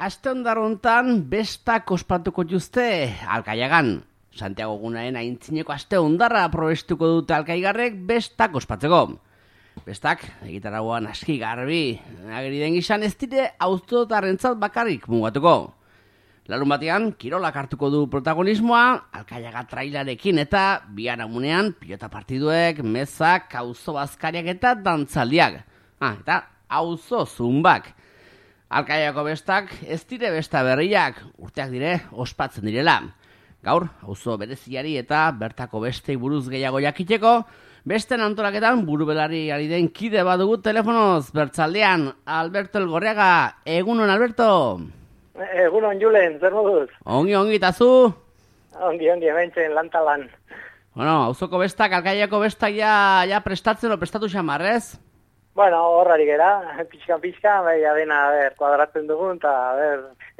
aste hondarrontan bestak ospatuko juzte Alkaiagan. Santiago Egunaren aintzineko aste hondarra probestuko dute alkaigarrek bestak ospatzeko. Bestak, egitarauan aski garbi, ageri den gizan ez dire auzotarrentzat bakarrik mugatuko. Larun batean, kirolak hartuko du protagonismoa, Alkaiaga trailarekin eta biharamunean pilota partiduek, mezak, auzo bazkariak eta dantzaldiak. Eta auzo zumbak. Alkaiako bestak ez dire besta berriak, urteak dire ospatzen direla. Gaur, auzo bereziari eta bertako bestei buruz gehiago jakiteko, besten antolaketan burubelari ari den kide badugu telefonoz, bertzaldean, Alberto Elgorriaga. Egunon, Alberto? Egunon, Julen, zer moduz? Ongi, eta zu? Ongi, hementzen lantalan. Bueno, auzoko bestak, Alkaiako bestak ja prestatu xamarrez? Bueno, horrari gera, pixkan, baina dena, kuadratzen dugun, eta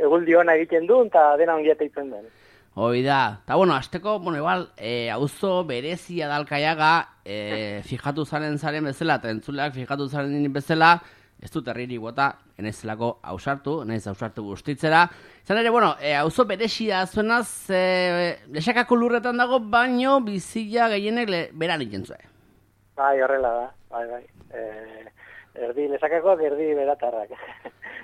eguldi hona egiten duen, eta dena ongieta itzen den. Hoi da. Eta, bueno, azteko, igual, auzo berezia da Alkaiaga, fijatu zaren bezala, eta entzuleak fijatu zaren bezala, ez dut herriri bota, enezelako ausartu guztitzera. Zan ere, bueno, auzo berezia zuenaz, lesakako lurretan dago, baino bizia gehienek beran ikentzue. Bai, horrela da, bai. Erdi lesakakoak, erdi beratarrak.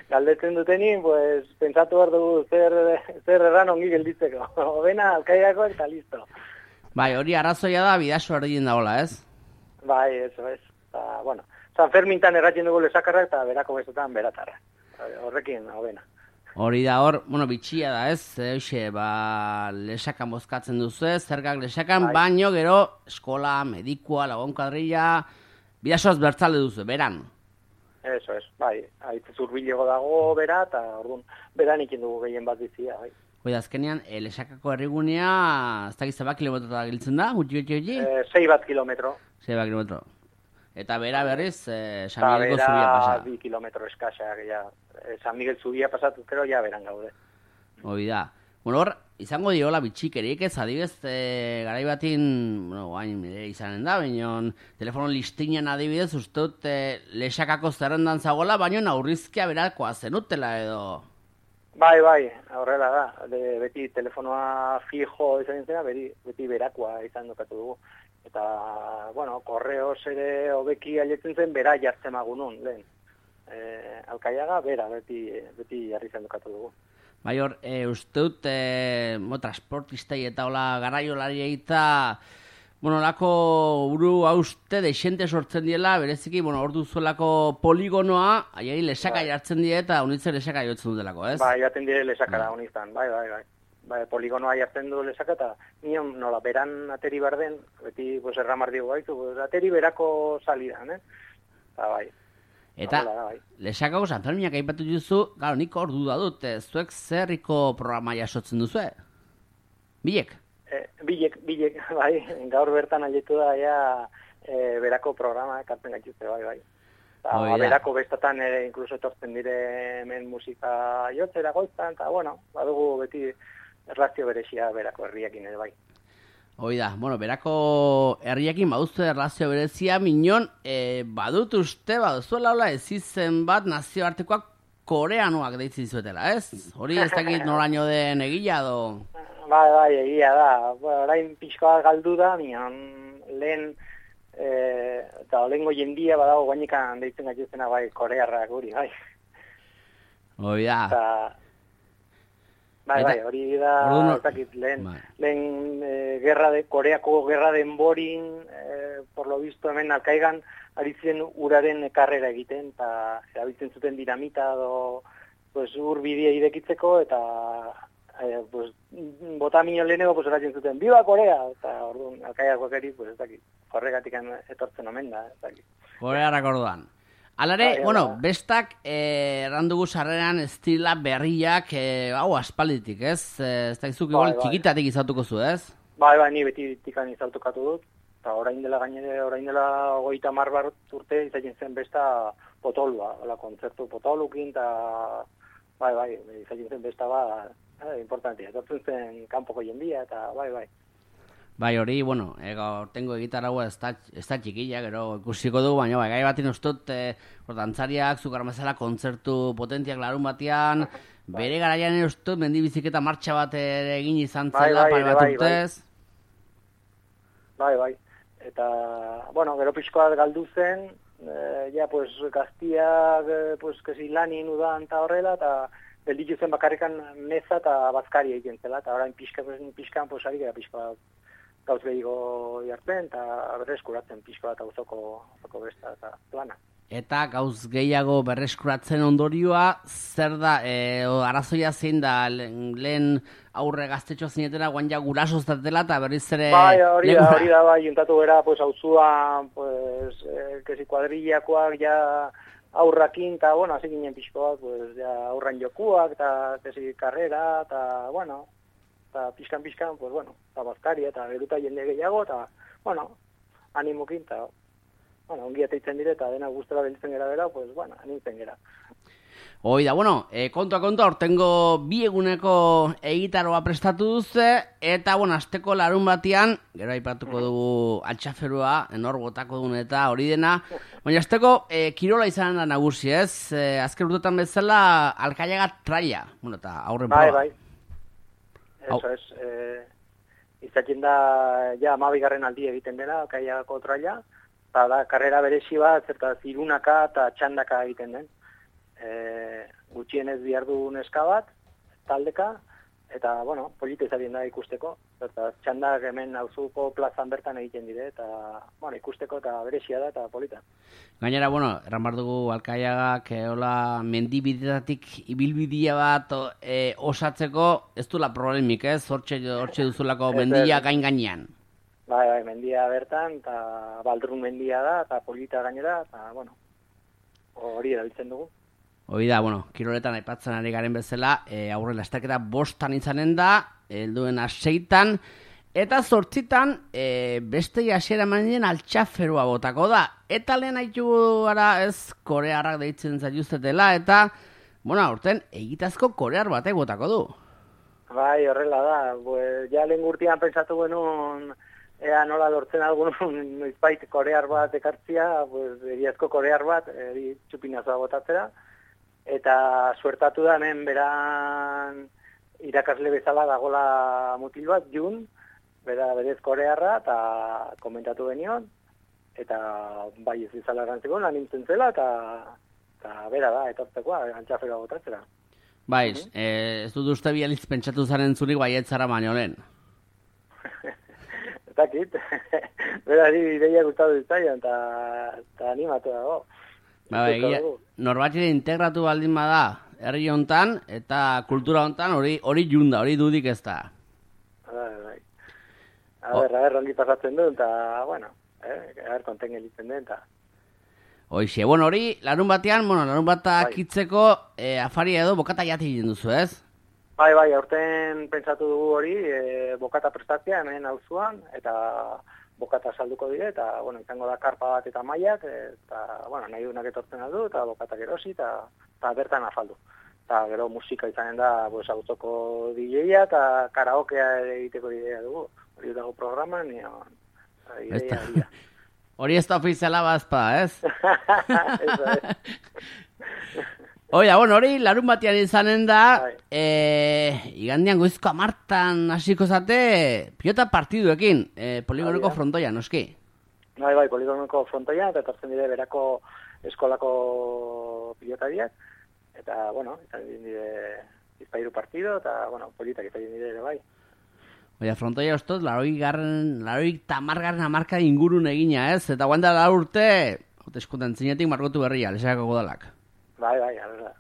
Galdetzen dutenin, pues, pentsatu behar dugu zer erran ongi gelditzeko. Obena, Alkaiakoak eta listo. Bai, hori arrazoia da, bidaso erdien dagoela, ez? Bai, eso es. Eta, bueno, San Fermintan erratzen dugu lesakarrak eta berako bezetan beratarrak. Horrekin, obena. Hori da hor, bueno, bitxia da, ez? Lesakan bozkatzen duzu ez, zergak lesakan, baino gero eskola, medikua, lagunkadrilla, bidasoaz bertzale duzu, beran. Eso es, bai, haitz zurbilego dago bera, eta orduan beran ikin dugu gehien bat bizia, bai. Hoi da, azkenean, lesakako herrigunea, ez dakiz zebak kilometrota giltzen da, gutxi? 6 bat kilometro. 6 bat kilometro. Eta bera berriz, San Miguelko zubia pasa. Eta bera 2 kilometro eskaxak, San Miguel zubia pasatu, pero ja beran gaude. Hoi da. Bueno, hor, izango diola bitxikerik ez, adibez, garai batin, bueno, guain izanen da, baina telefono listinan adibidez, uste dut lesakako zerrendan zagoela, baina aurrizkia berakoa zenutela edo. Bai, horrela da. Beti telefonoa fijo izan zena, beti berakoa izan dukatu dugu. Eta, bueno, korreos ere hobeki aletzen zen, bera jartzen magunun, lehen. Alkaiaga, bera, beti jarri izan dukatu dugu. Bai hor, uste dut, transportistei eta hola garaiolari eta, bueno, lako buru hauste deixente sortzen diela, bereziki, bueno, hor duzuelako poligonoa, aiari lesaka jartzen die eta unitzen lesaka jotzen dutelako, ez? Bai, jaten dire lesakara uniztan, bai. Bai, poligonoa jartzen du lesaka eta nion nola beran ateri barden, beti pues, erramar digu gaitu, pues, ateri berako salidan, Eta bai. Eta lesakako San Ferminak aipatu duzu, gero nik hor duda dut, zuek zerriko programa jasotzen duzu, Bilek? Bilek, bai, gaur bertan aldetu da berako programa ekartzen gaituzte, bai. Eta berako bestatan inkluso etortzen dire hemen musika jotzera goiztan, eta bueno, badugu beti erlazio berezia berako herriakin ere bai. Hoi da, bueno, berako herriakin baduzte erlazio berezia, minon, badut uste, baduzuela hola ez izen bat nazioartekoak koreanoak deitzi dizuetela, ez? Hori ez dakit noraino den egila do? Bai, egia da. Orain pixkoa galdu da, minon, lehen, eta olengo jendia badago guainekan deitzen gaituzena bai korearrak guri, bai. Hoi da. Bai, hori da, lehen Koreako gerra denborin, por lo visto hemen Alkaigan, ari ziren uraren karrera egiten, eta erabiltzen zuten dinamita edo ur bidea irekitzeko, eta bota minio lehenego eratzen zuten, Viva Korea! Eta orduan Alkaiakoak eri, ez dakit, horregatik etortzen omen da, ez dakit. Korearrak orduan. Alare, bueno, bestak errandugu sarreran estila berriak, aspalditik, ez? Ez dakizuk, igual txikitatik izautuko zu, ez? Bai, ni beti tikan izautukatu dut. Eta orain dela 30 bat urte izaten zen besta potolua, kontzertu potolukin, eta bai, izaten zen besta importantia. Etortzen zen kanpoko jendia, eta bai. Bai, hori, bueno, tengo gitarra ez da txikilla, gero ikusiko dugu, baina gai batin ustut, dantzariak, zukar mazala, kontzertu potentiak larun batean, Bere garaian ere uste dut mendibiziketa martxa bat ere egin izan zela, pare bat urtez. Bai. Eta, bueno, gero pixkoat galdu zen, ja, pues, gaztiak, pues, kesi lanin udan eta horrela, eta gelditu zen bakarrikan meza eta bazkari egiten zela, eta orain pixkan, pues, ari gara pixkoat gauz gehiago jartzen, eta berreskuratzen pixkoat auzoko besta eta plana. Eta gauz gehiago berreskuratzen ondorioa, zer da, arazoia zein da, lehen aurre gaztetxoa zinetela, guan ja gurasoz datela, eta berriz ere... Bai, hori da, bai, juntatu gara, pues, auzuan, pues, kesi kuadrillakoak, ja, aurrakin, eta, bueno, hasi ginen pixkoak, pues, ja, aurran jokuak, eta, kesi, karrera, eta, bueno, eta pixkan, pues, bueno, eta bazkari, eta geruta jende gehiago, eta, bueno, animokin, eta, bueno, ongi ateitzen dire, eta dena guztela beltzen gara bera, pues, bueno, animtzen gara. Oida, bueno, kontua, hortengo bi eguneko egitaroa prestatu duze, eta, bueno, asteko larun batian, gero aipatuko dugu altxaferua, enor botako duen eta hori dena, baina asteko kirola izanen da nagusi, ez? Azken urtetan bezala, Alkaiaga traila, bueno, eta aurren proba. Bai. Eso es, izaten da, ja, 12. aldi egiten dela, Alkaiagako traila, eta da, karrera berezi bat, zerta zirunaka eta txandaka egiten den. Gutxienez bihar du neska bat, taldeka, eta, bueno, polita izabien da ikusteko. Eta txandak hemen auzuko plazan bertan egiten dire, eta, bueno, ikusteko eta berezia da, eta polita. Gainera, bueno, erran behar dugu Alkaiagak, hola, mendibidetatik ibilbidea bat osatzeko, ez duela problemik, ez? Hortxe duzulako mendia gain-gainean. Bai, mendia bertan, eta Baldrun mendia da, eta polita gainera, eta, bueno, hori erabiltzen dugu. Hoi da, bueno, kiroletan aipatzen ari garen bezala, aurre lasterketa 5 izanen da, helduen 6, eta 8 beste hasiera manien altxaferua botako da. Eta lehen haitu gara ez korearrak deitzen zaituztetela, eta, bueno, aurten egitazko korear batek botako du. Bai, horrela da, ja lehen gurtian pentsatu genuen, ea nola lortzen algun noizbait korear bat ekartzia, egiazko korear bat, txupinazoa botatzera, eta suertatu da hemen beran irakasle bezala dagola mutil bat, Jun, berez korearra, eta komentatu benion, eta bai ez izala erantzeko, lan nintzen zela, eta bera da, etortzekoa, antxaferoa botatzera. Bai, ez dut uste bializ pentsatu zaren zurik baietzara baino lehen. Zakit, berari ideia gustatu ditzaian, eta animatu dago. Norbatxire integratu baldin bada, herri hontan, eta kultura hontan hori junda, hori dudik ez da. Bai. A ber, ongi pasatzen du, eta, bueno, konten gelitzen den, eta... Hoixe, bueno, hori, larun batean, larun batak itzeko afari edo bokata jati egin duzu, ez? Bai, aurten pentsatu dugu hori, bokata prestatzea hemen auzuan, eta bokata salduko dire, eta, bueno, izango da karpa bat eta mailak, eta, bueno, nahi duenak etortzen aldu, eta bokatak erosi, eta bertan afaldu. Eta gero musika izanen da, auzoko DJ-a, eta karaokea egiteko idea dugu. Hori dago programan, idea. Hori ez da ofiziala bazpa, ez? Eso es. Oida, bueno, hori larun batian izanen da, igandian goizko 10 hasiko zate, pilota partiduekin, poligoneko frontoia, noski? Bai, poligoneko frontoia, eta etortzen dire berako eskolako pilotariak, eta, bueno, izan dire 2 partido, eta, bueno, politak izan dire ere bai. Oida, frontoia ostot, 80 hamarka ingurun egina, ez? Eta guanda da urte, eskutan zinetik margotu berria, lesakako godalak. Bai, arra.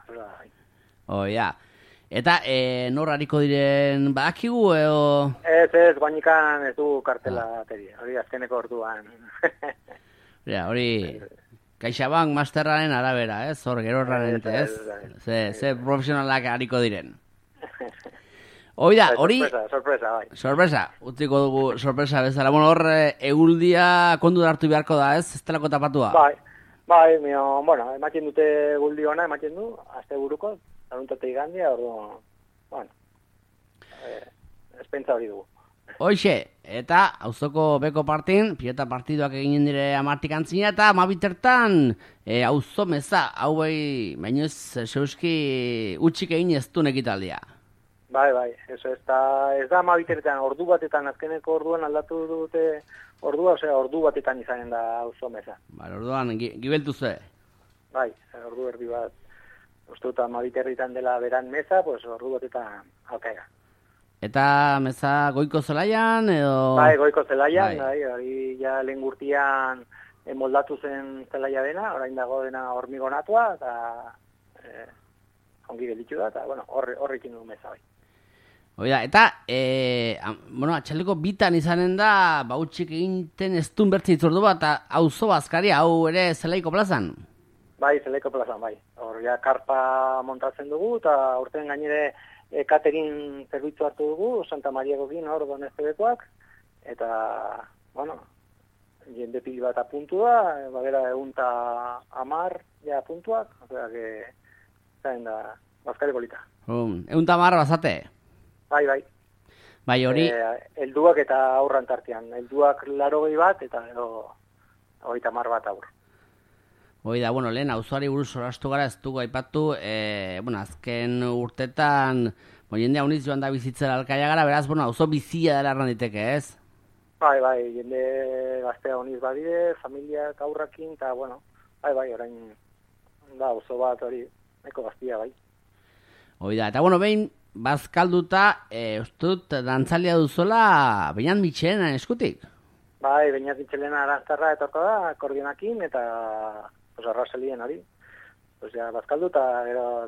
Oia. Eta nor hariko diren badakigu edo... Ez, guanikan ez du kartela ateri. Hori azkeneko orduan. Hori CaixaBank masterraren arabera, ez? Hor gero errarente, ez? Ze profesionalak hariko diren. Oida, hori... Sorpresa, bai. Sorpresa, utziko dugu sorpresa bezala. Bueno, hor eguldia kondu hartu beharko da, ez? Ez telako tapatua. Bai, bueno, ematen dute guldi ona, ematen du, azte buruko, laruntate igandia, ordu, bueno, espentsa hori dugu. Hoxe, eta auzoko beko partin, pilota partiduak eginen dire amartik antzina, eta amabitertan auzo meza, hauei, baino ez zeuski utxik egin ez du ekitaldia. Bai, eso ez da amabitertan, ordu batetan, azkeneko orduan aldatu dute ordua, osea, ordu batetan izanen da auzo meza. Bai, orduan, gibeltu ze. Bai, ordu erdi bat, uste dut amabiterritan dela beran meza, pues ordu batetan alkaiga. Eta meza goiko zelaian, edo... Bai, goiko zelaian, bai, hori ja lehen gurtian moldatu zen zelaia dena, orain dago dena hormigonatua, eta ongi gelditu da, eta, bueno, horrekin du meza, bai. Oida, eta, atxaleko bitan izanen da, bautxik eginten ez duen bertzi itzordu bat, eta auzo bazkaria, hau ere zelaiko plazan? Bai, zelaiko plazan, bai. Hor, ja, karpa montatzen dugu, eta urten gainere catering zerbitzu hartu dugu, Santa Mariakokin hor Doneztebekoak, eta, bueno, jende pil bat apuntu da, bagera 110 ja apuntuak, osea, que zain da, bazkari polita. 110 bazate? Bai. Bai, hori... Helduak eta aurran tartean, helduak 80 bat, eta 30 bat aur. Hoi da, bueno, lehen, auzoari buruz orastu gara, ez dugu aipatu, azken urtetan, jendea uniz joan da bizitzera alkaia gara, beraz, auzo bizia dela erran diteke, ez? Bai, jende gaztea uniz badide, familiak aurrakin, eta, bai, orain, da, auzo bat hori, nahiko gaztia, bai. Hoi da, eta, behin, bazkalduta, ustut, dantzalia duzola, Beñat Mitxelena eskutik? Bai, Beñat Mitxelena arantzarra etorko da, akordionakin, eta... arrazelien hori. Ja, bazkaldu eta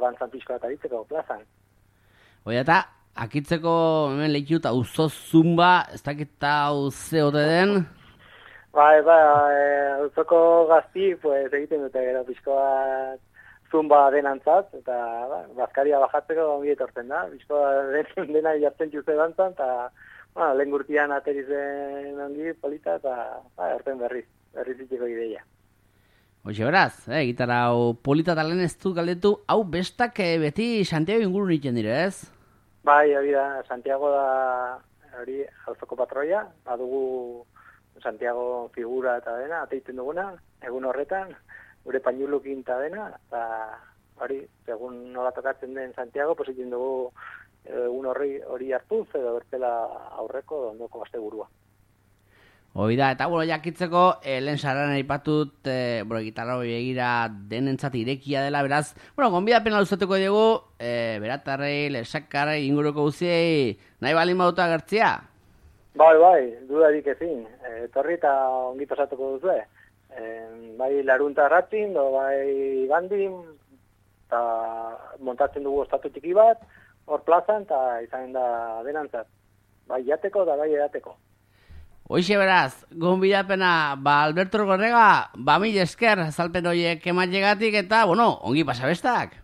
dantzan pixko bat aritzeko plazan. Oida, eta akitzeko hemen lehitu eta auzo zumba, ez dakita auze ote den? Bai, auzoko gazti, egiten dute gero pixko bat zumba denantzat, eta bazkaria bajatzeko ongi etortzen da. Pixko dena jartzen juze dantzan, eta lehen gurtian aterizen ongi polita, eta horten berriz itxeko ideia. Hoxe beraz, gitarra hau polita talen ez dut galdetu, hau bestak beti Santiago inguru nintzen dire, ez? Bai, hori da, Santiago da hori auzoko patroia, badugu Santiago figura eta dena, ateiten duguna, egun horretan, gure pañulukin eta dena, eta hori, segun nola tokatzen den Santiago, egiten dugu egun hori hartuz, edo bertela aurreko ondoko gazte burua. Hoi da, eta jakitzeko, lehen sarran aipatut, gitarra hori egira denentzat irekia dela, beraz, gonbidapena luzatuko dugu, beratarrei, lesakarrei, inguruko guziei, nahi balin baduta gertzia? Bai, dudarik ezin, etorri eta ongi pasatuko duzu, bai larunta ratzin, bai bandin, eta montatzen dugu ostatu txiki bat, hor plazan, eta izan da denantzat, bai jateko eta bai edateko. Hoixe beraz, gonbidapena, Alberto Gorrega, mil esker, azalpen horiek ematxegatik, eta, ongi pasabestak.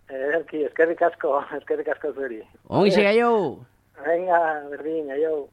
Eskerrik asko zuri. Ongi segaio. Venga, berdin, aio.